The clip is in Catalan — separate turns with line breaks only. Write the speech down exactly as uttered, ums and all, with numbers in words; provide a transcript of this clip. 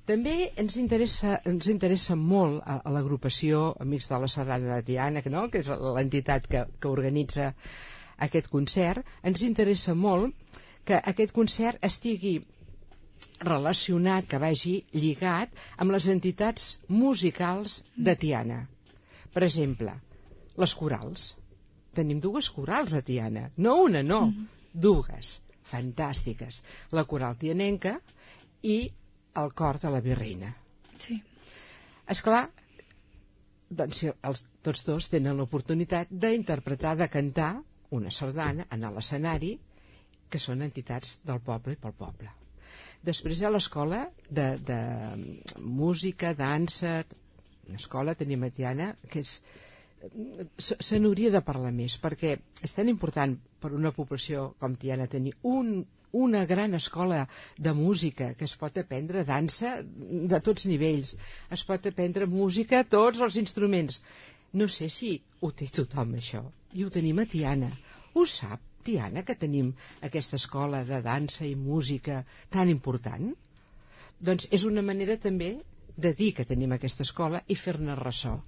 També ens interessa, ens interessa molt a, a l'agrupació Amics de la Sardana de Tiana, que, no? que és l'entitat que, que organitza aquest concert. Ens interessa molt que aquest concert estigui relacionat, que vagi lligat amb les entitats musicals de Tiana. Per exemple, les corals. Tenim dues corals a Tiana, no una, no, mm. dues, fantàstiques. La coral tianenca i el cor de la Virreina.
Sí.
Esclar, doncs els, tots dos tenen l'oportunitat d'interpretar, de cantar una sardana, anar a l'escenari, que són entitats del poble i pel poble. Després hi ha l'escola de, de música, dansa, una escola, tenim a Tiana, que és... Se, se n'hauria de parlar més, perquè és tan important per una població com Tiana tenir un una gran escola de música, que es pot aprendre dansa de tots nivells, es pot aprendre música, tots els instruments. No sé si ho té tothom, això, i ho tenim a Tiana. Ho sap, Tiana, que tenim aquesta escola de dansa i música tan important? Doncs és una manera també de dir que tenim aquesta escola i fer-ne ressò.